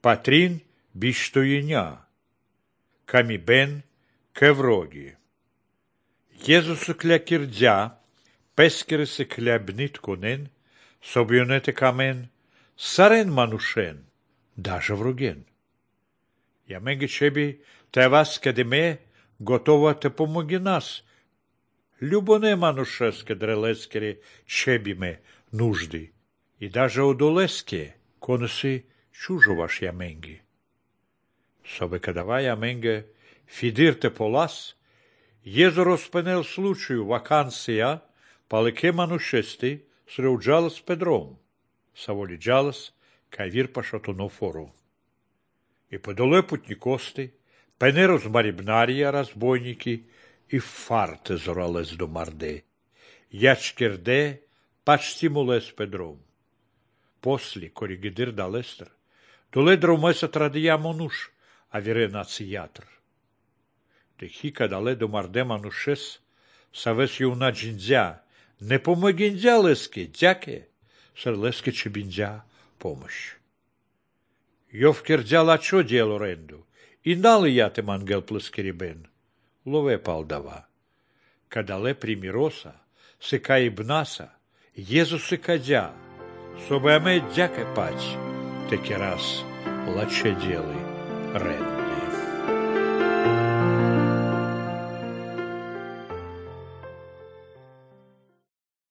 Патрин биштуиня, ками бен кевроги. Иезусу кля кирдзя, пескересы кля бнит конен, собьонете камен, сарен манушен, даже вруген. Яменге чеби те вас кедеме, готова те помоги нас. Любоне манушеске дрелескере чебиме нужды, и даже удолеске конусы чужоваш яменги. Собе кадава яменге фидирте полас, Езу розпенел случаю вакансия, палеке манушести среуджалас Педром, саволиджалас кавир пашатуно фору. И подоле путникости, пене розмарибнария разбойники, и фарте зоралес до марде, ячкерде пачтимулес Педром. После коригидир далестер, доле дромеса традия монуш, а вире нациятр. Техика дале до марде манушес, савес юна джиндзя, не помогиндзя леске, дяке, сер леске чебиндзя помощь. Йовкердзя лачо дело ренду, и налы яте мангел плескерибен, лове палдава. Кадале примироса, сека и бнаса, Езусы кадя, собе аме дяке пать, теки раз лаче делы ренду.